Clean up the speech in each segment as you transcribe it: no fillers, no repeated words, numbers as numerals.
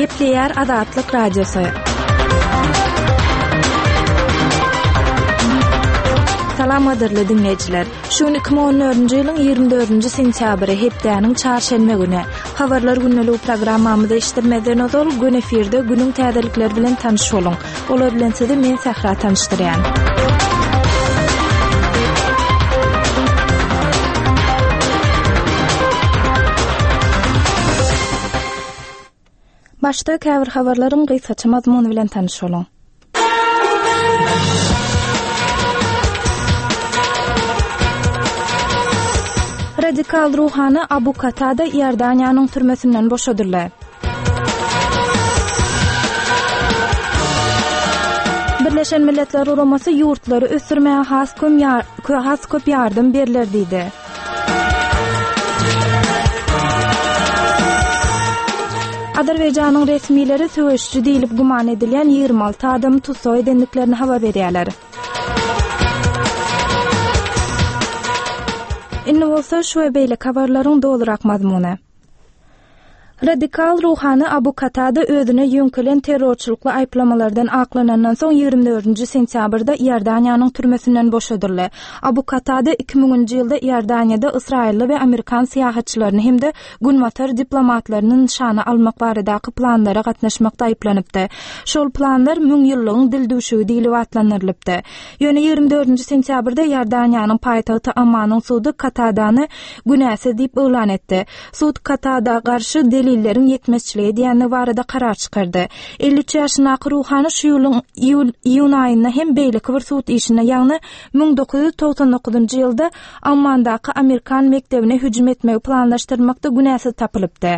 Gepleýär Azatlyk Radiosy. Salam gadyrly diňleýjiler. Şu gün 2014-nji ýylyň 24-nji sentýabry, hepdäniň çarşenbe güni. Habarlar gündeligi programmamyzy eşitdirmezden ozal, gün efirde günüň täzelikleri bilen tanyş boluň. Olar bilen sizi men Sähra tanyşdyrýan. Başda käbir habarlaryň gysgaça mazmuny bilen tanyş boluň. Radikal ruhany Abu Katada Iordaniýanyň türmesinden boşadyldy. Birleşen Milletler Guramasy ýurtlary ösdürmäge has köm has köp ýardam berler diýdi. Azerbaýjanyň resmileri söweşiji diýlip güman edilýän 26 adamy tussag edendiklerini habar berýärler. Indi bolsa şu we beýleki habarlaryň dolurak mazmuny. Radikal ruhany Abu Katada özüne ýöňkelen terrorçylykly aýyplamalardan aklanandan soň 24-nji sentýabrda Iordaniýanyň türmesinden boşadyldy. Abu Katada iki müňünji ýylda Iordaniýada ysraýylly we amerikan syýahatçylaryny hem-de günbatar diplomatlaryny nyşana almak baradaky planlara gatnaşmakda aýyplanypdy. Şol planlar Müňýyllygyň dildüwşügi diýlip atlandyrylypdy. Ýöne 24-nji sentýabrda Iordaniýanyň paýtagty Ammanyň sudy Katadany günäsiz diýip yglan etdi. Sud Katada garşy delilleriň ýetmezçilik edýändigi barada karar çykardy. 53 ýaşyndaky ruhany şu ýylyň iýun aýynda hem beýleki bir sud işinde, ýagny 1999-njy ýylda Ammandaky amerikan mekdebine hüjüm etmegi planlaşdyrmakda günäsiz tapylypdy.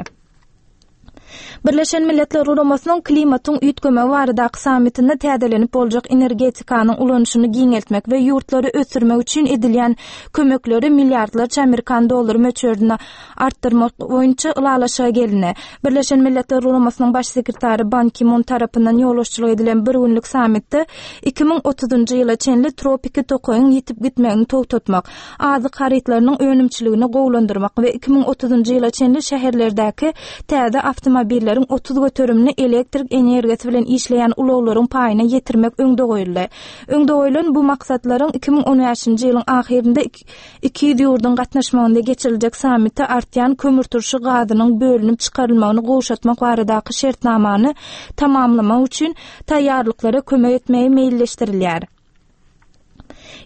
Birleşen Milletler Guramasynyň klimatyň üýtgemegi baradaky sammitinde täzelenip boljak energetikanyň ulanyşyny giňeltmek we ýurtlary ösdürmek üçin edilýän kömekleri milliardlarça amerikan dollary möçberinde artdyrmak boýunça ylalaşyga gelindi. Birleşen Milletler Guramasynyň Baş sekretary Ban Ki-mun tarapyndan ýolbaşçylyk edilen bir günlük sammitde 2030-njy ýyla çenli tropiki tokaýyň ýitip gitmegini togtatmak, azyk harytlarynyň önümçiligini gowulandyrmak we 2030-njy ýyla çenli şäherlerdäki täze awtomobilleriň 30 göterimini elektrik energiýasy bilen işleýän ulaglaryň paýyna ýetirmek öňde goýuldy. Öňde goýlan bu maksatlaryň 2015-nji ýylyň ahyrynda 200 ýurduň gatnaşmagynda geçiriljek sammitde artýan kömürturşy gazynyň bölünip çykarylmagyny gowşatmak baradaky şertnamany tamamlamak üçin taýýarlyklara kömek etmegi meýilleşdirilýär.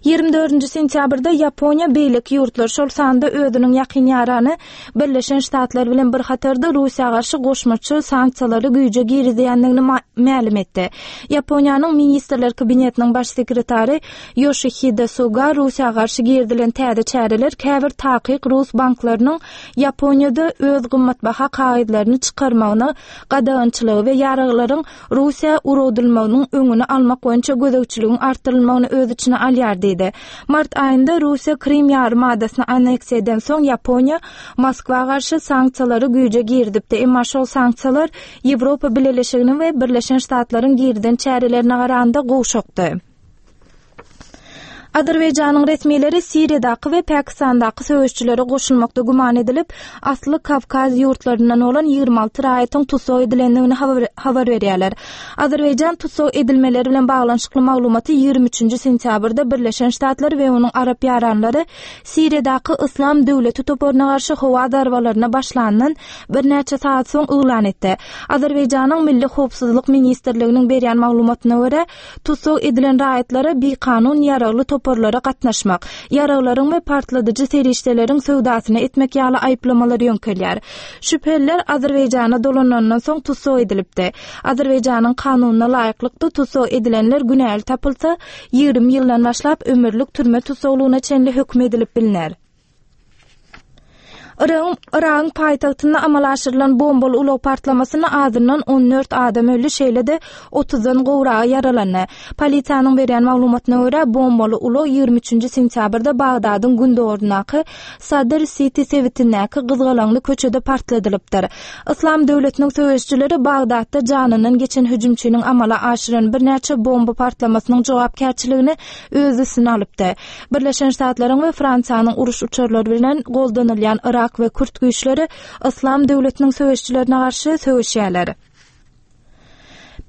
24-nji sentýabrda Ýaponiýa beýleki ýurtlar, şol sanda özüniň ýakyn ýarany Birleşen Ştatlar bilen bir hatarda Russiýa garşy goşmaça sanksiýalary güýje girizýändigini mälim etdi. Ýaponiýanyň Ministrler Kabinetiniň baş sekretary Ýoşihide Suga Russiýa garşy girizilen täze çäreler käbir takyk rus banklarynyň Ýaponiýada öz gymmatbaha kagyzlaryny çykarmagyna gadagançylygy we ýaraglaryň Russiýa ugradylmagynyň öňüni almak boýunça gözegçiligiň artdyrylmagyny öz içine alýar diýdi. Mart aýynda Russiýa Krym ýarym adasyny anneksiýa edensoň, Ýaponiýa Moskwa garşy sanksiýalary güýje girizipdi, emma şol sanksiýalar Ýewropa Bileleşiginiň we Birleşen Ştatlaryň girizen çärelerine garanda gowşakdy. Azerbaýjanyň resmileri Siriýadaky we Pakistandaky söweşçilere goşulmakda güman edilip, asly Kawkaz ýurtlaryndan bolan 26 raýatyň tussag edilendigini habar berýärler. Azerbaýjan tussag edilmeleri bilen baglanyşykly maglumaty 23-nji sentýabrda Birleşen Ştatlar we onuň arap ýaranlary Siriýadaky Yslam döwleti toparyna garşy howa zarbalaryna başlandan birnäçe sagat soň yglan etdi. Azerbaýjanyň Milli howpsuzlyk ministrliginiň berýän maglumatyna görä, Tussag edilen raýatlara bikanun ýaragly toparlara gatnaşmak, ýaraglaryň we partladyjy serişdeleriň söwdasyny etmek ýaly aýyplamalar ýöňkelýär. Şübheliler Azerbaýjana dolanandan soň tussag edilipdi. Azerbaýjanyň kanunyna laýyklykda tussag edilenler günäli tapylsa, 20 ýyldan başlap ömürlik türme tussaglygyna çenli höküm edilip bilner. Yragyň Yragyň paýtagtynda amala aşyrylan bombaly ulag partlamasynda azyndan 14 adam öldi, şeýle-de otuzdan gowragy ýaralandy. Polisiýanyň berýän maglumatyna görä, bombaly ulag 23-nji sentýabrda Bagdadyň gündogaryndaky Sadr Siti sebitindäki gyzgalaňly köçede partladylypdyr. Yslam döwletiniň söweşijileri Bagdatda janyndan geçen hüjümçiniň amala aşyran birnäçe bomba partlamasynyň jogapkärçiligini öz üstüne alypdy. Birleşen Ştatlaryň we Fransiýanyň uruş uçarlary bilen goldanylýan Yrak we kürt güýçleri Yslam döwletiniň söweşijilerine garşy söweşýärler.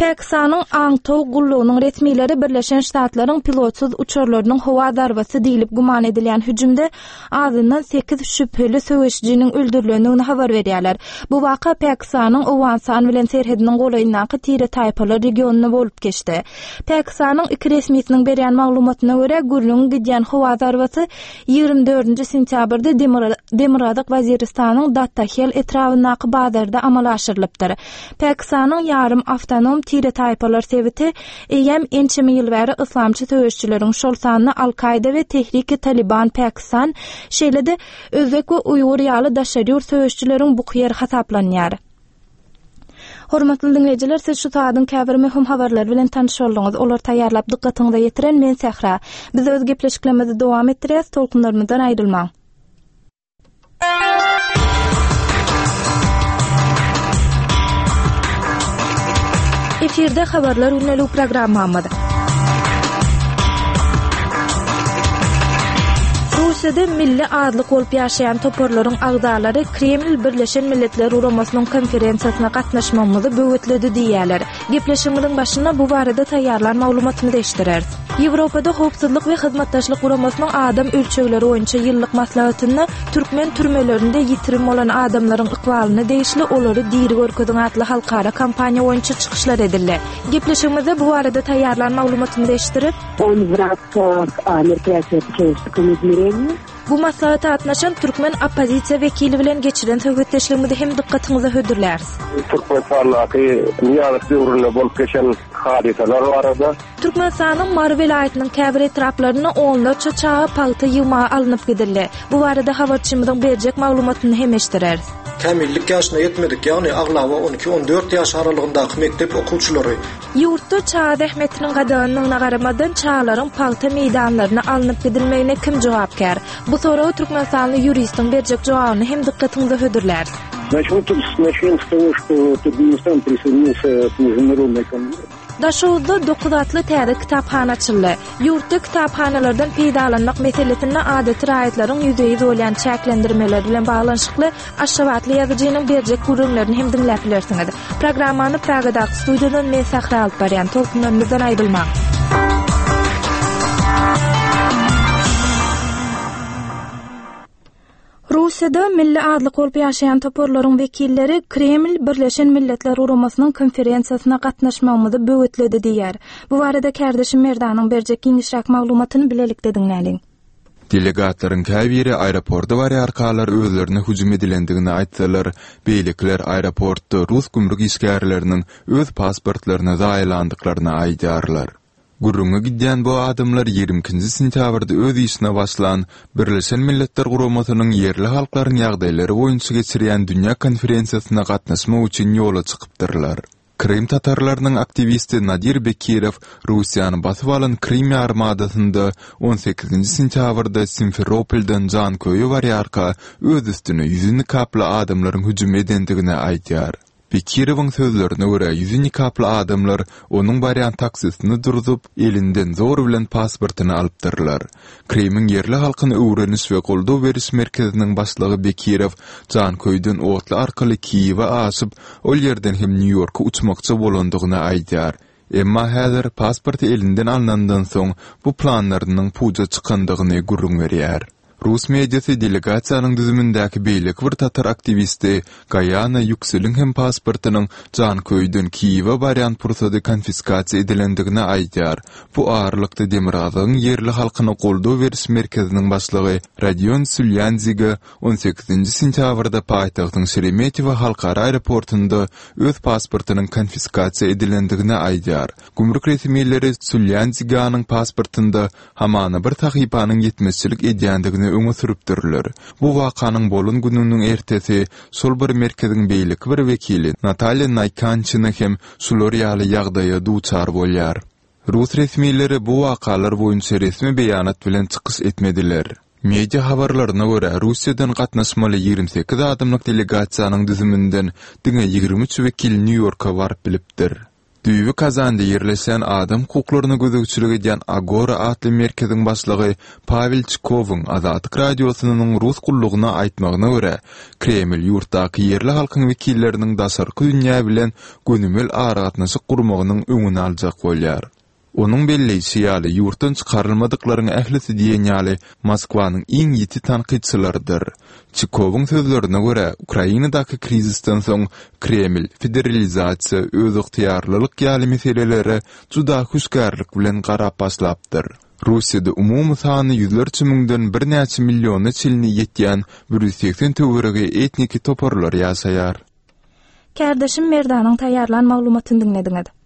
Pakistanyň aňtaw gullugynyň resmileri Birleşen Ştatlaryň pilotsyz uçarlarynyň howa zarbasy diýlip güman edilýän hüjümde azyndan sekiz şübheli söweşijiniň öldürilendigini habar berýärler. Bu waka Pakistanyň Owganystan bilen serhediniň golaýyndaky tire-taýpalar regionynda bolup geçdi. Pakistanyň iki resmisiniň berýän maglumatyna görä, gürrüňi gidýän howa zarbasy 24 sentýabrda Demirgazyk Waziristanyň Dattahel etrabyndaky bazarda amala aşyrylypdyr. Pakistanyň ýarym awtonom tire-taýpalar sebiti eýýäm ençeme ýyl bäri yslamçy söweşijileriň, şol sanda Al-Kaýda we Tehriki-Taliban Pakistan, şeýle-de özbek we uýgur ýaly daşary ýurt söweşijileriň buky ýeri hasaplanýar. Hormatly diňleýjiler, siz şu saadyň käbir möhüm habarlary bilen tanyş bolduňyz. Olary taýýarlap dykgatyňyza ýetiren men Sähra. Biz öz gepleşiklerimizi dowam etdirýäs, tolkunlarymyzdan aýrylmaň. Efirde habarlar gündelik programmamyz. Russiýada milli azlyk bolup ýaşaýan toparlaryň agzalary Kreml Birleşen Milletler Guramasynyň konferensiýasyna gatnaşmagymyzy böwetledi diýýärler. Gepleşigimiziň başynda bu barada taýýarlan maglumatymyzy eşitdireris. Ýewropada Howpsuzlyk we Hyzmatdaşlyk Guramasynyň adam ölçegleri boýunça ýyllyk maslahatynda türkmen türmelerinde ýitirim bolan adamlaryň ykbalyna degişli Olary diri görkeziň atly halkara kampaniýa boýunça çykyşlar edildi. Gepleşigimizde bu barada taýýarlan maglumatymyzy eşitdirip, On w ramkach мероприятия по человеческому измерению. Bu maslahata gatnaşan türkmen oppozisiýa wekili bilen geçiren söhbetdeşligimizi hem dykgatyňyza hödürläris. Türkmenistandaky Nyýazow döwründe bolup geçen hadysalar barada. Türkmenistanyň Mary welaýatynyň käbir etraplarynda onlarça çaga pagta ýygmaga alnyp gidildi. Bu barada habarçymyzyň berjek maglumatyny hem eşitdireris. Kämillik ýaşyna ýetmedik, ýagny aglaba on iki-on dört ýaş aralygyndaky mekdep okuwçylary. Ýurtda çaga zähmetiniň gadaganlygyna garamazdan, çagalaryň pagta meýdanlaryna alnyp gidilmegine kim jogapkär? Bu soraga türkmenistanly ýuristiň berjek jogabyny hem dykgatyňyza hödürläris. Daşoguzda Dokuz atly täze kitaphana açyldy. Ýurtda kitaphanalardan peýdalanmak meselesinde adaty raýatlaryň ýüzbe-ýüz bolýan çäklendirmeleri bilen baglanyşykly aşgabatly ýazyjynyň berjek gürrüňlerini hem diňläp bilersiňiz. Programmany Pragadaky studiýadan men Sähra alyp barýan. Tolkunlarymyzdan aýrylmaň. Russiýada milli azlyk bolup ýaşaýan toparlaryň wekilleri Kreml Birleşen Milletler Guramasynyň konferensiýasyna gatnaşmagymyzy böwetledi diýýär. Bu barada kärdeşim Merdanyň berjek giňişräk maglumatyny bilelikde diňläliň. Delegatlaryň käbiri aeroporta barýarkalar özlerine hüjüm edilendigini aýtsalar, beýlekiler aeroportda rus gümrük işgärleriniň öz pasportlaryny zaýalandyklaryny aýdýarlar. Gürrüňi gidýän bu adamlar 22 nji sentýabrda öz işine başlan Birleşen Milletler Guramasynyň ýerli halklaryň ýagdaýlary boýunça geçirýän dünýä konferensiýasyna gatnaşmak üçin ýola çykypdyrlar. Krym tatarlarynyň aktiwisti Nadir Bekirow Russiýany basyp alan Krym ýarymadasynda on sekizinji sentýabrda Simferopoldan Janköýe barýarka öz üstüne ýüzi nikaply adamlaryň hüjüm edendigini aýdýar. Bekirowyň sözlerine görä, ýüzi nikaply adamlar onuň barýan taksisini durzup, elinden zor bilen pasportyny alypdyrlar. Krymyň ýerli halkyny öwreniş we goldaw beriş merkeziniň başlygy Bekirow Janköýden otly arkaly Kiýewe aşyp, ol ýerden hem Nýu-Ýorka uçmakçy bolandygyny aýdýar. Emma häzir pasporty elinden alnandan soň bu planlarynyň puja çykandygyny gürrüň berýär. Rus mediasy delegasiýanyň düzümindäki beýleki bir tatar aktiwisti Gaýana Ýükseliň hem pasportynyň Janköýden Kiýewe barýan pursady konfiskasiýa edilendigini aýdýar. Bu aralykda Demirgazygyň ýerli halkyna goldaw beriş merkeziniň başlygy Rodion Sülýandziga on sekizinji sentýabrda paýtagtyň Şeremetýewo halkara aeroportynda öz pasportynyň konfiskasiýa edilendigini aýdýar. Gümrük resmileri Sülýandziganyň pasportynda hamana bir sahypanyň ýetmezçilik edýändigini öňe sürüpdirler. Bu wakanyň bolan gününiň ertesi şol bir merkeziň beýleki bir wekili Natalýa Naýkançina hem şular ýaly ýagdaýa duçar bolýar. Rus resmileri bu wakalar boýunça resmi beýanat bilen çykyş etmediler. Media habarlaryna görä, Russiýadan gatnaşmaly 28 adamlyk delegasiýanyň düzüminden diňe 23 wekil Nýu-Ýorka baryp bilipdir. Düýbi Kazanda ýerleşýän adam hukuklaryna gözegçilik edýän Agora atly merkeziň başlygy Pawel Çikowyň Azatlyk Radiosynyň Rus gullugyna aýtmagyna görä, Kreml ýurtdaky ýerli halkyň wekilleriniň daşarky dünýä bilen gönümel aragatnaşyk gurmagynyň öňüni aljak bolýar. Onuň belleýşi ýaly, ýurtdan çykarylmadyklaryň ählisi diýen ýaly Moskwanyň iň ýiti tankytçylarydyr. Çikowyň sözlerine görä, Ukrainadaky krizisden soň Kreml federalizasiýa, özygtyýarlylyk ýaly meselelere juda hüşgärlik bilen garap başlapdyr. Russiýada umumy sany ýüzlerçe müňden birnäçe milliona çenli ýetýän 180 töweregi etniki toparlar ýaşaýar. Kärdeşim Merdanyň taýýarlan maglumatyny diňlediňiz.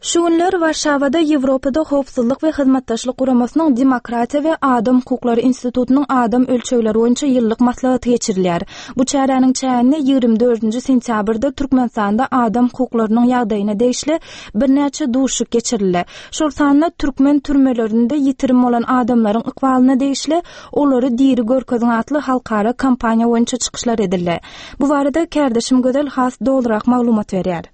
Şu günler Warşawada Ýewropada Howpsuzlyk we Hyzmatdaşlyk Guramasynyň Demokratiýa we adam hukuklary institutynyň adam ölçegleri boýunça ýyllyk maslahaty geçirilýär. Bu çäräniň çäginde 24-nji sentýabrda Türkmenistanda adam hukuklarynyň ýagdaýyna degişli birnäçe duşuşyk geçirildi. Şol sanda türkmen türmelerinde ýitirim bolan adamlaryň ykbalyna degişli Olary diri görkeziň atly halkara kampaniýa boýunça çykyşlar edildi. Bu barada kärdeşim Gözel has dolurak maglumat berýär.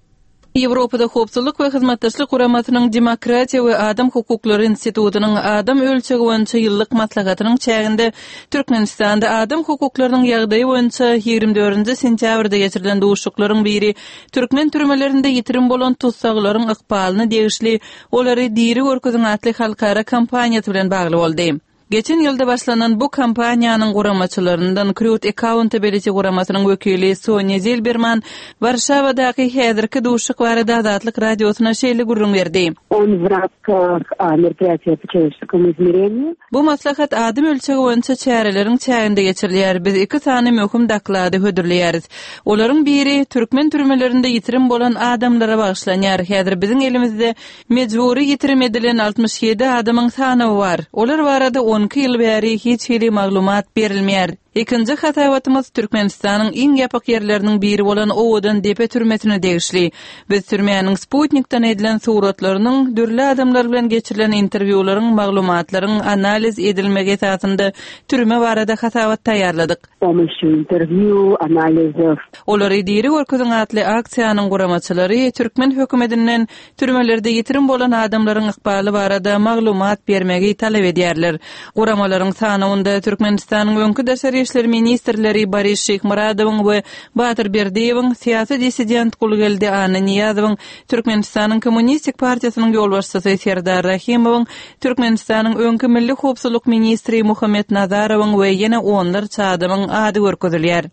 Ýewropada Howpsuzlyk we Hyzmatdaşlyk Guramasynyň Demokratiýa we adam hukuklary institutynyň adam ölçegi boýunça ýyllyk maslahatynyň çäginde Türkmenistanda adam hukuklarynyň ýagdaýy boýunça 24-nji sentýabrda geçirilen duşuşyklaryň biri türkmen türmelerinde ýitirim bolan tussaglaryň ykbalyna degişli Olary diri görkeziň atly halkara kampaniýasy bilen bagly boldy. Geçen ýylda başlanan bu kampaniýanyň guramaçylaryndan Krut Accountability guramasynyň wekili Sonýa Zilberman Warşawadaky häzirki duşuşyk barada Azatlyk Radiosyna şeýle gürrüň berdi. On w ramkah meropryatiýa po çelowečeskomu izmereniýu. Bu maslahat adam ölçegi boýunça çäreleriň çäginde geçirilýär. Biz iki sany möhüm doklady hödürleýäris. Olaryň biri türkmen türmelerinde ýitirim bolan adamlara bagyşlanýar. Häzir biziň elimizde Mejbury ýitirim edilen 67 adamyň sanawy bar. Olar barada 12 ýyl bäri hiç hili maglumat berilmeýär. Ikinji hasabatymyz Türkmenistanyň iň ýapyk ýerleriniň biri bolan Owadan depe türmesine degişli. Biz türmäniň sputnikden edilen suratlarynyň, dürli adamlar bilen geçirilen interwýularyň, maglumatlaryň analiz edilmegi esasynda türme barada hasabat taýýarladyk. Pomощью interwýu, analizow. Olary diri görkeziň atly aksiýanyň guramaçylary türkmen hökümetinden Türmelerde ýitirim bolan adamlaryň ykbaly barada maglumat bermegi talap edýärler. Guramalaryň sanawynda Türkmenistanyň öňki daşary işler ministrleri Boris Şyhmyradowyň we Batyr Berdiýewiň, syýasy dissident Gulgeldi Annanyýazowyň, Türkmenistanyň Kommunistik partiýasynyň ýolbaşçysy Serdar Rahymowyň, Türkmenistanyň öňki milli howpsuzlyk ministri Muhammet Nazarowyň we ýene onlarça adamyň ady görkezilýär.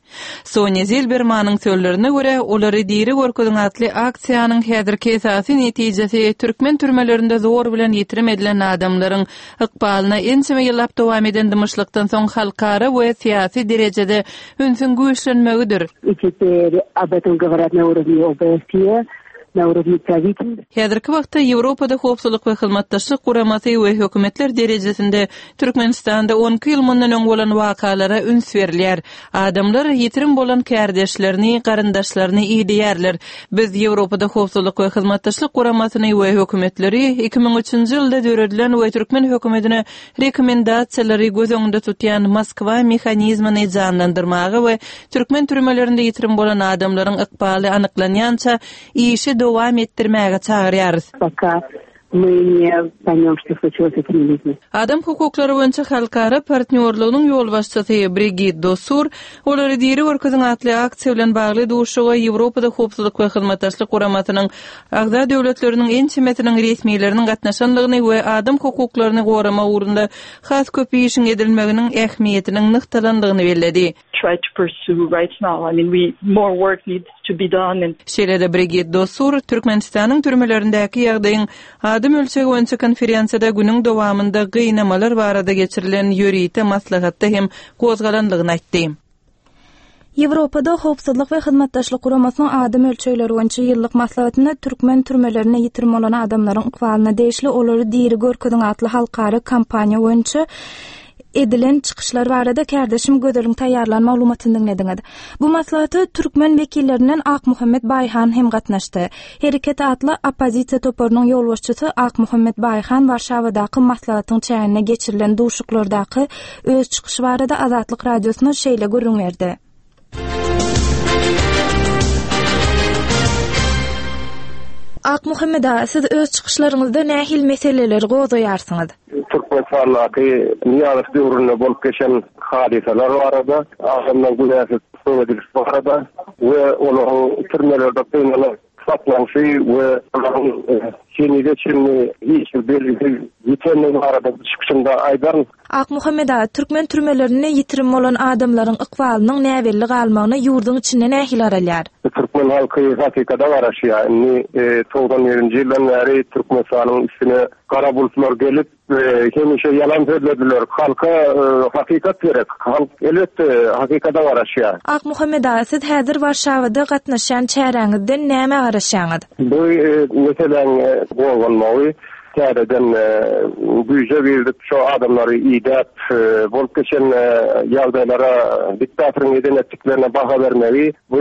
Sonýa Zilbermanyň sözlerine görä, Olary diri görkeziň atly aksiýanyň häzirki esasy netijesi türkmen türmelerinde zor bilen ýitirim edilen adamlaryň ykbalyna ençeme ýyllap dowam eden dymyşlykdan soň halkara we syýasy derejede ünsüň güýçlenmegidir. I teper ob etom govorýat na urovni OBSE, na urovni pravitelstv. Häzirki wagtda Ýewropada Howpsuzlyk we Hyzmatdaşlyk Guramasy we hökümetler derejesinde Türkmenistanda 12 ýyl mundan öň bolan wakalara üns berilýär. Adamlar ýitirim bolan kärdeşlerini, garyndaşlaryny ideýärler. Biz Ýewropada Howpsuzlyk we Hyzmatdaşlyk Guramasyny we hökümetleri 2003-nji ýylda döredilen we türkmen hökümetine rekomendasiýalary göz öňünde tutýan Moskwa mehanizmini janlandyrmaga we türkmen türmelerinde ýitirim bolan adamlaryň ykbaly anyklanýança işi dowam etdirmäge çagyrýarys. Poka my ne poýmem, çto sluçilось s etimi lýudmi. Adam hukuklary boýunça halkara partnýorlygynyň ýolbaşçysy Brigit Dosur Olary diri görkeziň atly aksiýa bilen bagly duşuşyga Ýewropada Howpsuzlyk we Hyzmatdaşlyk Guramasynyň agza döwletleriniň ençemesiniň resmileriniň gatnaşandygyny we adam hukuklaryny goramak ugrunda has köp işiň edilmeginiň ähmiýetiniň nygtalandygyny belledi. try to pursue right now. I mean, we more work needs to be done and. Şeýle-de Brigit Dosur Türkmenistanyň türmelerindäki ýagdaýyň adam ölçegi boýunça konferensiýada günüň dowamynda gynamalar barada geçirilen ýörite maslahatda hem gozgalandygyny aýtdy. Ýewropada Howpsuzlyk we Hyzmatdaşlyk Guramasynyň adam ölçegleri boýunça ýyllyk maslahatynda türkmen türmelerinde ýitirim bolan adamlaryň ykbalyna degişli Olary diri görkeziň atly halkara kampaniýa boýunça. edilen çykyşlar barada kärdeşim Gözeliň taýýarlan maglumatyny diňlediňiz. Bu maslahata türkmen wekillerinden Akmuhammet Baýhan hem gatnaşdy. Hereket atly oppozisiýa toparynyň ýolbaşçysy Akmuhammet Baýhan Warşawadaky maslahatyň çäginde geçirilen duşuşyklardaky öz çykyşy barada Azatlyk Radiosyna şeýle gürrüň berdi. Akmuhammet aga, siz öz çykyşlaryňyzda nähili meseleleri gozgaýarsyňyz? Türkmenistandaky Nyýazow döwründe bolup geçen hadysalar barada, adamlaryň günäsiz tussag edilişi barada we olaryň türmelerde gynalyp saklanyşy we olaryň henize çenli hiç bir belgisiz ýitenligi barada çykyşymda aýdaryn. Akmuhammet aga, türkmen türmelerinde ýitirim bolan adamlaryň ykbalynyň näbelli galmagyna ýurduň içinde nähili garalýar? Türkmen halky hakykata garaşýar. Indi 91-nji ýyldan bäri Türkmenistanyň üstüne gara bulutlar gelip, hemişe ýalan sözlediler. Halka hakykat gerek. Halk, elbetde, hakykata garaşýar. Akmuhammet aga, siz häzir Warşawada gatnaşýan çäräňizden nämä garaşýaňyz? Bu meseläň gozgalmagy täzeden güýje girizip, şo adamlary idäp, bolup geçen ýagdaýlara, diktatoryň eden-etdiklerine baha bermegi bu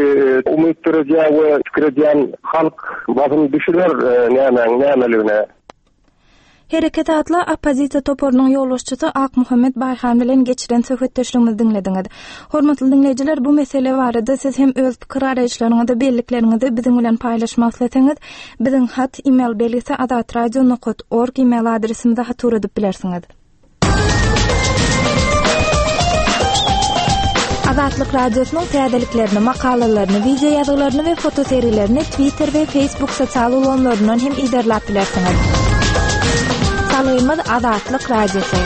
umyt döredýär we pikir edýän halk basym düşüner nämäň nämeligine. Hereket atly oppozisiýa toparynyň ýolbaşçysy Akmuhammet Baýhan bilen geçiren söhbetdeşligimizi diňlediňiz. Hormatly diňleýjiler, bu mesele barada siz hem öz pikir-garaýyşlaryňyzy, bellikleriňizi biziň bilen paýlaşmak isleseňiz, biziň hat, e-mail belgisi azatradio nokat org e-mail adresimize hat ugradyp bilersiňiz. Azatlyk Radiosynyň täzeliklerini, makalalaryny, wideo ýazgylaryny we fotosergilerini Twitter we Facebook sosial ulgamlaryndan hem yzarlap bilersiňiz. Salgymyz Azatlyk Radiosy.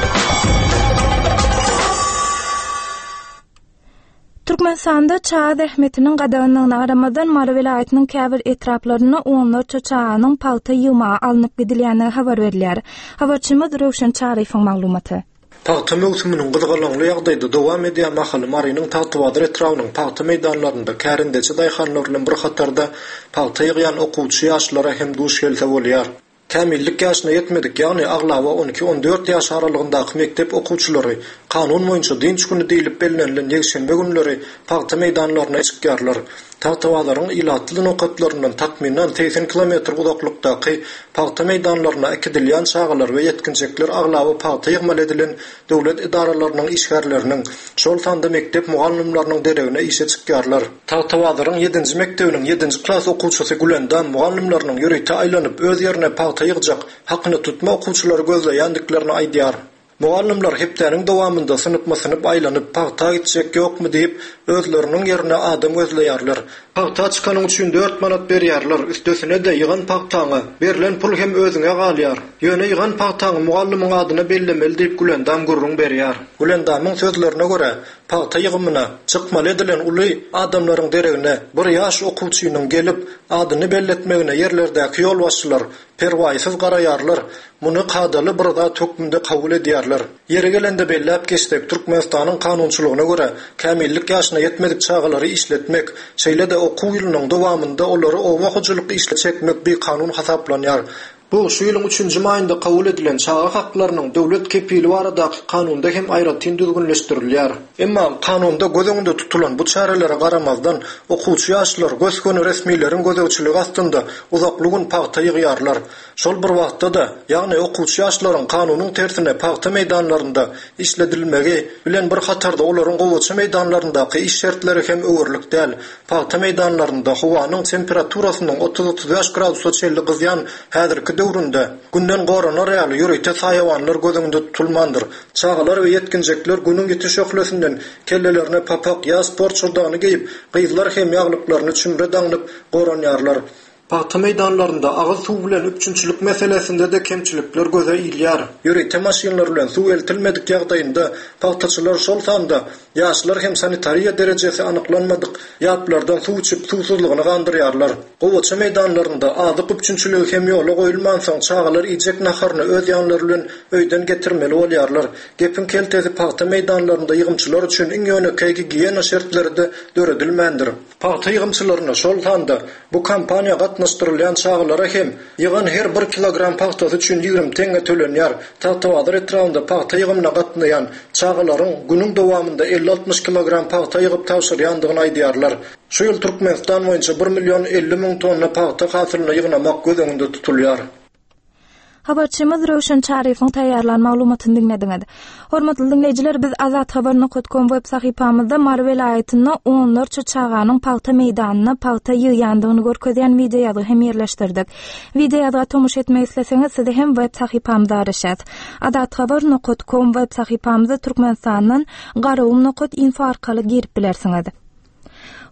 Türkmenistanda çaga zähmetiniň gadaganlygyna garamazdan, Mary welaýatynyň käbir etraplarynda onlarça çaganyň pagta ýygmaga alnyp gidilýändigi habar berilýär. Habarçymyz Röwşen Çaryýewiň maglumaty. Pagta möwsüminiň gyzgalaňly ýagdaýda dowam edýän mahaly Marynyň Tagtabazar etrabynyň pagta meýdanlarynda kärendeçi daýhanlar bilen bir hatarda pagta ýygýan okuwçy ýaşlara hem duş gelse bolýar. Kämillik ýaşyna ýetmedik, ýagny aglaba on iki-on dört ýaş aralygyndaky mekdep okuwçylary kanun boýunça dynç güni diýlip bellenilen ýekşenbe günleri pagta meýdanlaryna çykýarlar. Tagtabazaryň ilatly nokatlaryndan takmynan 80 kilometr uzaklykdaky pagta meýdanlaryna äkidilýän çagalar we ýetginjekler aglaba pagta ýygmaly edilen döwlet edaralarynyň işgärleriniň, şol sanda mekdep mugallymlarynyň deregine işe çykýarlar. Tagtabazaryň ýedinji mekdebiniň ýedinji klas okuwçysy Gülendam mugallymlarynyň ýörite aýlanyp öz ýerine pagta ýygjak, hakyna tutma okuwçylary gözleýändiklerini aýdýar. Mugallymlar hepdäniň dowamynda synpma-synp aýlanyp, pagta gitjek ýokmy diýip, özleriniň ýerine adam gözleýärler. Pagta çykanyň üçin dört manat berýärler, üstesine-de ýygan pagtaňa berlen pul hem özüňe galýar. Ýöne ýygan pagtaňy mugallymyň adyna bellemeli diýip Gülendam gürrüň berýär. Gülendamyň sözlerine görä, pagta ýygymyna çykmaly edilen uly adamlaryň deregine bir ýaş okuwçynyň gelip, adyny belletmegine ýerlerdäki ýolbaşçylar perwaýsyz garaýarlar, muny kadaly bir zat hökmünde kabul edýärler. Ýeri gelende belläp geçsek, Türkmenistanyň kanunçylygyna görä, kämillik ýaşyna ýetmedik çagalary işletmek, şeýle-de okuw ýylynyň dowamynda olary oba hojalyk işine çekmek bikanun hasaplanýar. Bu, şu ýylyň üçünji maýynda kabul edilen Çaga haklarynyň döwlet kepili baradaky Kanunda hem aýratyn düzgünleşdirilýär. Emma Kanunda göz öňünde tutulan bu çärelere garamazdan, okuwçy ýaşlar gös-göni resmileriň gözegçiligi astynda uzakly gün pagta ýygýarlar. Şol bir wagtda-da, ýagny okuwçy ýaşlaryň kanunyň tersine pagta meýdanlarynda işledilmegi bilen bir hatarda olaryň gowaça meýdanlaryndaky iş şertleri hem öwerlik däl. Pagta meýdanlarynda howanyň temperaturasynyň 30-35 gradusa çenli gyzýan häzirki döwründe Günden goranar ýaly ýörite saýawanlar göz öňünde tutulmandyr. Çagalar we ýetginjekler Günüň ýiti şöhlesinden kellelerine papak ýa sport şyrdagyny geýip, gyzlar hem ýaglyklaryny çümre daňynyp goranýarlar. Pagta meýdanlarynda agyz suw bilen üpjünçilik meselesinde-de kemçilikler göze ilýär. Ýörite maşynlar bilen suw eltilmedik ýagdaýynda pagtaçylar, şol sanda ýaşlar hem sanitariýa derejesi anyklanmadyk ýaplardan suw içip, suwsuzlygyny gandyrýarlar. Gowaça meýdanlarynda azyk üpjünçiligi hem ýola goýulmansoň, çagalar iýjek naharyny öz ýanlary bilen öýden getirmeli bolýarlar. Gepiň keltesi pagta meýdanlarynda ýygymçylar üçin iň ýönekeý gigiýena şertleri-de döredilmändir. Pagta ýygymçylaryna, şol sanda bu kampaniýa gatnaşýan. gatnaşdyrylýan çagalara hem ýygan her bir kilogram pagtasy üçin 20 teňňe tölenýär. Tagtabazar etrabynda pagta ýygymyna gatnaýan çagalaryň günüň dowamynda 50-60 kilogram pagta ýygyp tabşyrýandygyny aýdýarlar. Şu ýyl Türkmenistan boýunça bir million 50 müň tonna pagta hasylyny ýygnamak göz öňünde tutulýar. Habarçymyz Röwşen Çaryýewiň taýýarlan maglumatyny diňlediňiz. Hormatly diňleýjiler, biz Azathabar nokat kom web sahypamyzda Mary welaýatynda onlarça çaganyň pagta meýdanynda pagta ýygýandygyny görkezýän wideoýazgy hem ýerleşdirdik. Wideoýazga tomaşa etmek isleseňiz, sizi hem web sahypamyzda garaşýas. Azathabar nokat kom web sahypamyza Türkmenistandan Garagum nokat info arkaly girip bilersiňiz.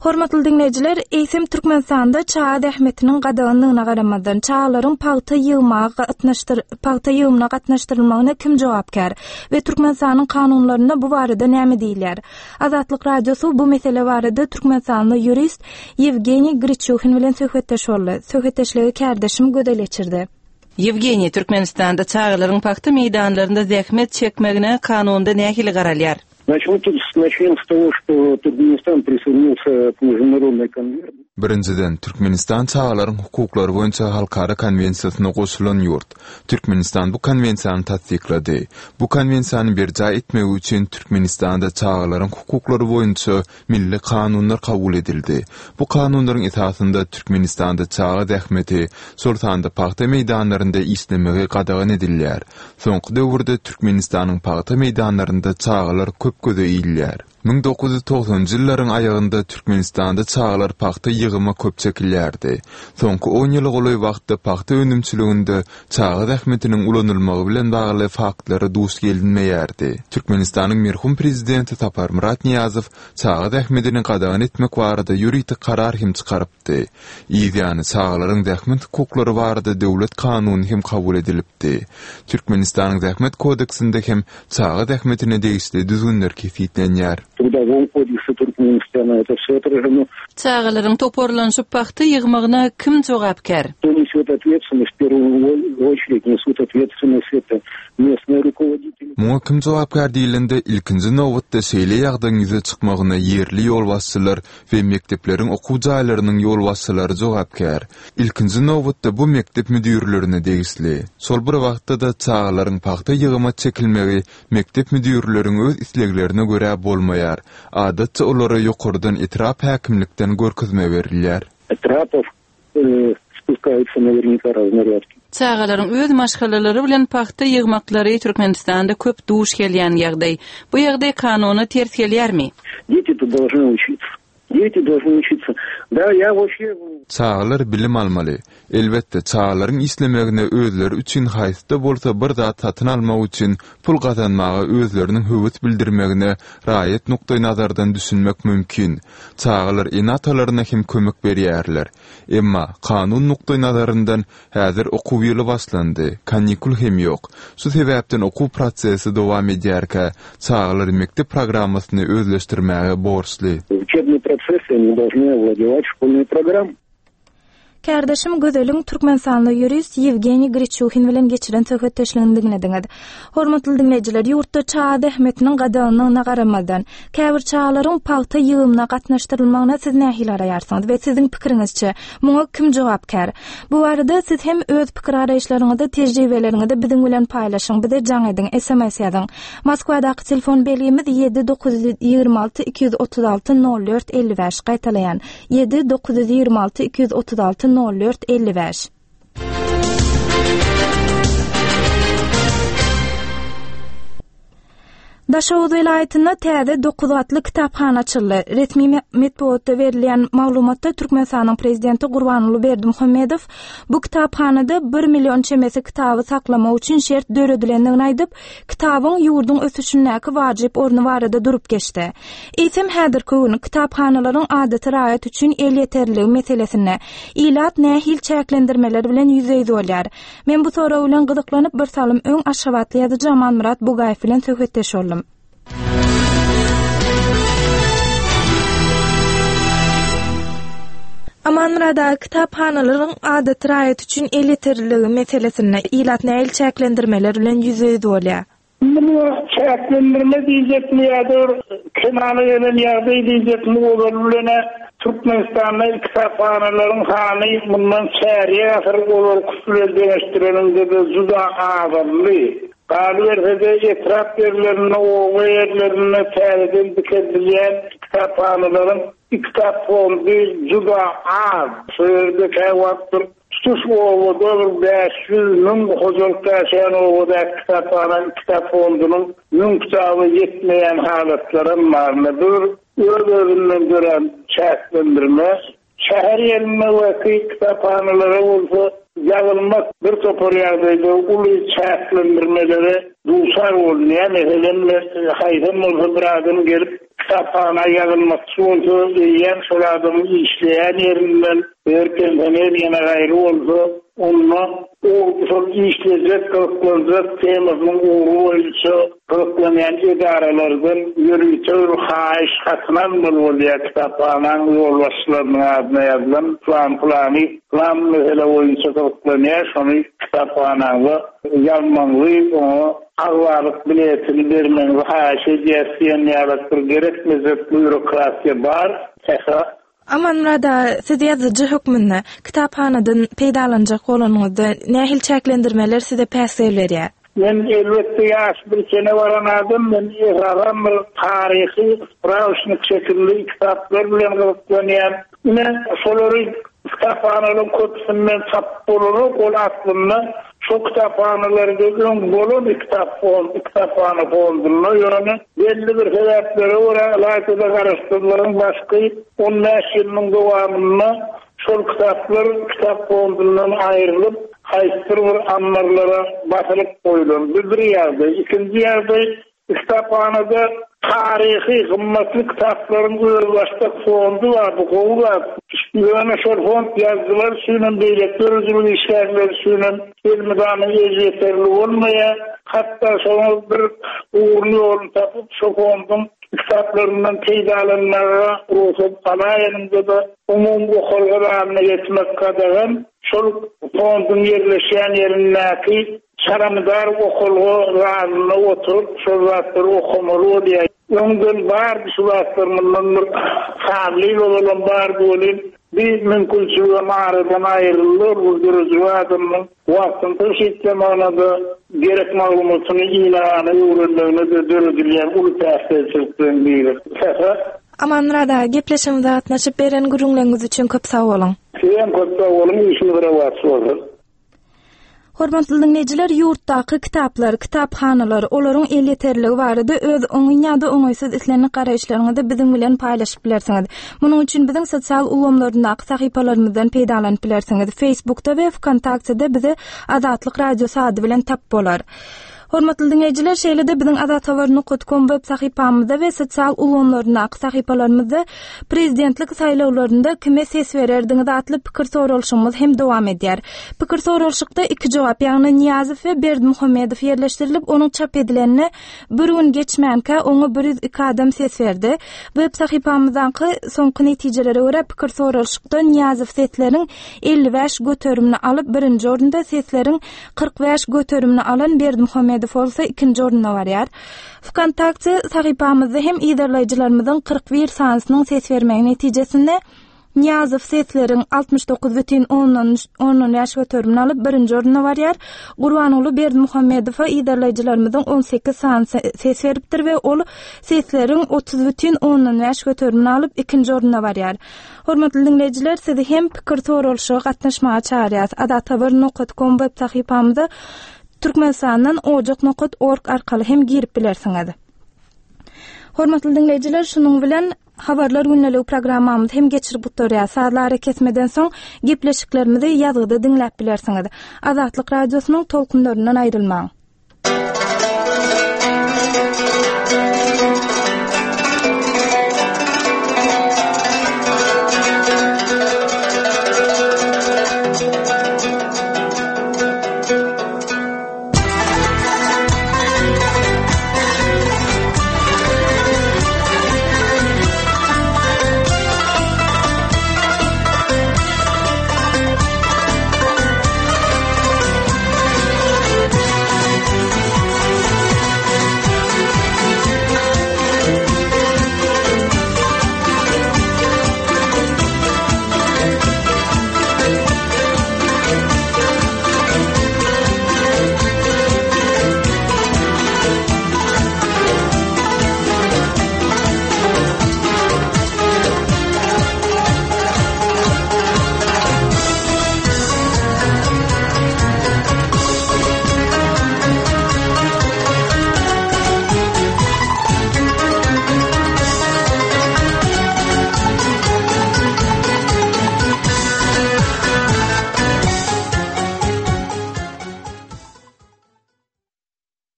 Hormatly diňleýjiler, eýsem Türkmenistanda çaga zähmetiniň gadaganlygyna garamazdan, çagalaryň pagta ýygmaga gatnaşdyr pagta ýygymyna gatnaşdyrylmagyna kim jogapkär we Türkmenistanyň kanunlarynda bu barada näme diýilýär? Azatlyk Radiosy bu mesele barada türkmenistanly ýurist Ýewgeniý Griçuhin bilen söhbetdeş boldy. Söhbetdeşligi kärdeşim Gözel geçirdi. Ýewgeniý, Türkmenistanda çagalaryň pagta meýdanlarynda zähmet çekmegine kanunda nähili garalýar? Birinjiden, Türkmenistan çagalaryň hukuklary boýunça halkara konwensiýasyna goşulan ýurt. Türkmenistan bu konwensiýany tassyklady. Bu konwensiýany berjaý etmegi üçin Türkmenistanda çagalaryň hukuklary boýunça milli kanunlar kabul edildi. Bu kanunlaryň esasynda Türkmenistanda çaga zähmeti, şol sanda pagta meýdanlarynda işlemegi gadagan edilýär. Soňky döwürde Türkmenistanyň pagta meýdanlarynda çagalar köp göze ilýär. 1990-njy ýyllaryň aýagynda Türkmenistanda çagalar pagta ýygyma köp çekilýärdi. Soňky on ýyla golaý wagtda pagta önümçiliginde çaga zähmetiniň ulanylmagy bilen bagly faktlara duş gelinmeýärdi. Türkmenistanyň merhum prezidenti Saparmyrat Nyýazow çaga zähmetini gadagan etmek barada ýörite karar hem çykarypdy. Yzýany çagalaryň zähmet hukuklary barada döwlet kanuny hem kabul edilipdi. Türkmenistanyň Zähmet kodeksinde hem çaga zähmetine degişli düzgünler kesgitlenýär. Trudowoý kodeksi Türkmenistana это все отражено. Çagalaryň toparlanyşyp pagta ýygmagyna kim jogapkär? Кто несет ответственность, в первую очередь несут ответственность это местные rukovodители. Muňa kim jogapkär diýlende, ilkinji nobatda şeýle ýagdaýyň ýüze çykmagyna ýerli ýolbaşçylar we mekdepleriň okuw jaýlarynyň ýolbaşçylary jogapkär. Ilkinji nobatda bu mekdep müdirlerine degişli. Şol bir wagtda-da çagalaryň pagta ýygyma çekilmegi mekdep müdirleriň öz isleglerine görä bolmaýar. Adatça olara ýokardan etrap häkimlikden görkezme berilýär. Etrapow spuskaýutsa nawernika raznarýadki. Çagalaryň öz maşgalalary bilen pagta ýygmaklary Türkmenistanda köp duş gelýän ýagdaý. Bu ýagdaý kanuna ters gelýärmi? Deti-to dolžny učиться. Deti dolžny učиться. Da, ýa woobşe. Çagalar bilim almaly. Elbetde, çagalaryň işlemegine özleri üçin haýsy-da bolsa bir zat satyn almak üçin pul gazanmaga özleriniň höwes bildirmegine raýat nukdaýnazardan düşünmek mümkin. Çagalar ene-atalaryna hem kömek berýärler. Emma, kanun nukdaýnazaryndan, häzir okuw ýyly başlandy, kanikul hem ýok. Şu sebäpden okuw prosesi dowam edýärkä, çagalar mekdep programmasyny özleşdirmäge borçly. Учебный процесс они должны овладевать школьной программой. Kärdeşim Gözeliň türkmenistanly ýurist Ýewgeniý Griçuhin bilen geçiren söhbetdeşligini diňlediňiz. Hormatly diňleýjiler, ýurtda çaga zähmetiniň gadaganlygyna garamazdan, käbir çagalaryň pagta ýygymyna gatnaşdyrylmagyna siz nähili garaýarsyňyz we siziň pikiriňizçe, muňa kim jogapkär? Bu barada siz hem öz pikir-garaýyşlaryňyzy, tejribeleriňizi biziň bilen paýlaşyň, bize jaň ediň, sms ýazyň. Moskwadaky telefon belgimiz 7 926 236 04 55, gaýtalaýan, 7 926 236 04 55. Daşoguz welaýatynda täze 9 gatly kitaphana açyldy. Resmi metbugatda berilýän maglumatda Türkmenistanyň Prezidenti Gurbanguly Berdimuhamedow bu kitaphanada 1 million çemesi kitaby saklamak üçin şert döredilendigini aýdyp, kitabyň ýurduň ösüşindäki wajyp orny barada durup geçdi. Eýsem, häzirki gün kitaphanalaryň adaty raýat üçin elýeterliligi meselesinde ilat nähili çäklendirmeler bilen ýüzbe-ýüz bolýar? Men bu sorag bilen gyzyklanyp, bir salym öň aşgabatly ýazyjy Amanmyrat Bugaýew bilen söhbetdeş boldum. Amanmyrat aga, kitaphanalaryň adaty raýat üçin elýeterliligi meselesinde ilat nähili çäklendirmeler bilen ýüzbe-ýüz bolýar? Muňa çäklendirme diýjekmi ýa-da bir kemala gelen ýagdaý diýjekmi, ozaly bilen-ä Türkmenistanda kitaphanalaryň sany mundan çärýek asyr ozalkysy bilen deňeşdireniňde-de juda azaldy. Galyberse-de, etrap ýerlerinde, oba ýerlerinde täzeden dikeldilýän kitaphanalaryň kitap fondy juda az. Şo ýerde käwagt bir Tutuş obada bir 500, 1000 hojalyk ýaşaýan obadaky kitaphana kitap fondunyň 1000 kitaba ýetmeýän halatlaram bar. Ine, bu bir öz-özünden dörän çäklendirme. Şäher ýerindäki kitaphanalara bolsa ýazylmak bir topar ýagdaýda uly çäklendirmelere duçar bolunýar. Meselem, haýsam bolsa bir adam gelip kitaphana ýazylmakçy bolsa, eýýäm şol adamyň işleýän ýerinden Eger pensioner ýene gaýry bolsa, onda ol şol işlejek, gyzyklanjak temasynyň ugry boýunça gyzyklanýan edaralardan ýörite bir haýyş hatyny almaly bolýar, kitaphanaň ýolbaşçylarynyň adyna ýazylan plan-pylany plan mesele boýunça gyzyklanýar, şony kitaphanaňyza ýazmagyňyzy, oňa agzalyk biletini bermegiňizi haýyş edýäris diýen ýalak bir gerekmejek býurokratiýa bar. Sähra Amanmyrat aga, siz ýazyjy hökmünde kitaphanadan peýdalanjak bolanyňyzda nähili çäklendirmeler size päsgel berýär? Men elbetde ýaşy bir çene baran adam, men esasan bir taryhy sprawçnik şekilli kitaplar bilen gyzyklanýan. Ine, şolary kitaphanalaryň köpüsinden tapyp bolanok, ol aslynda şo kitaphanalarda öň bolan kitap fond, kitaphana fondunda, ýöne Belli bir sebäplere görä, ylaýta-da Garaşsyzlygyň başky on bäş ýylynyň dowamynda şol kitaplar kitap fondundan aýrylyp, haýsydyr bir ammarlara basylyp goýlan. Bu bir ýagdaý. Ikinji ýagdaý, kitaphanada taryhy, gymmatly kitaplaryň özbaşdak fondy bar, bu gowy zat. Ýöne şol fond ýazyjylar üçinem, beýleki döredijilik işgärleri üçinem Elmydama elýeterli bolmaýar. Hatda şoňa bir ugruny-ýoluny tapyp, şo fonduň kitaplaryndan peýdalanmaga rugsat alaýanyňda-da, umumy okalga zalyna geçmek gadagan. Şol fonduň ýerleşýän ýerindäki çalamydar okalga zalynda oturyp, şol zatlary okamaly bolýar. Öňden bardy şu zatlar, mundan bir sanly ýyl ozalam bardy welin, Bir mümkinçiligem aradan aýryldy, ol bir döredijilik adamynyň wagtyny tygşytlamagyna-da, gerek maglumatyny ýygnagana öwrenmegine-de döredilýän uly päsgelçilikleriň biri. Sähra. Amanmyrat aga, gepleşigimize gatnaşyp, beren gürrüňleriňiz üçin köp sag boluň! Sizem köp sag boluň, işiňiz rowaç bolsun! Hormatly diňleýjiler, ýurtdaky kitaplar, kitaphanalar, olaryň elýeterliligi barada öz oňyn ýa-da oňaýsyz islendik garaýyşlaryňyzy biziň bilen paýlaşyp bilersiňiz. Munuň üçin biziň sosial ulgamlaryndaky sahypalarymyzdan peýdalanyp bilersiňiz. Facebookda we Wkontaktede bizi Azatlyk Radiosy ady bilen tap bolar. Hormatly diňleýjiler, şeýle-de biziň azathabar nokat kom web sahypamyzda we sosial ulgamlaryndaky sahypalarymyzda Prezidentlik saýlawlarynda kime ses bererdiňiz atly pikir soralyşygymyz hem dowam edýär. Pikir soralyşykda iki jogap, ýagny Nyýazow we Berdimuhamedow ýerleşdirilip, onuň çap edilenine bir gün geçmänkä oňa 102 adam ses berdi. Web sahypamyzdaky soňky netijelere görä pikir soralyşykda Nyýazow sesleriň 55 göterimini alyp, birinji orunda, sesleriň 45 göterimini alan Berdimuhamedow bolsa ikinji orunda barýar. Wkontakte sahypamyzda hem yzarlaýjylarymyzyň 41 sanysynyň ses bermegi netijesinde Nyýazow sesleriň 69 bütin ondan ondan bäş göterimini alyp, birinji orunda barýar. Gurbanguly Berdimuhamedowa yzarlaýjylarymyzyň 18 sanysy ses beripdir we ol sesleriň 30 bütin ondan bäş göterimini alyp, ikinji orunda barýar. Hormatly diňleýjiler, sizi hem pikir soralyşyga gatnaşmaga çagyrýarys. Azathabar nokat kom web sahypamyza Türkmenistandan ojak nokat org arkaly hem girip bilersiňiz. Hormatly diňleýjiler, şunuň bilen Habarlar gündeligi programmamyzy hem geçirip gutarýar. Sazly arakesmeden soň gepleşiklerimizi ýazgyda diňläp bilersiňiz. Azatlyk Radiosynyň tolkunlaryndan aýrylmaň.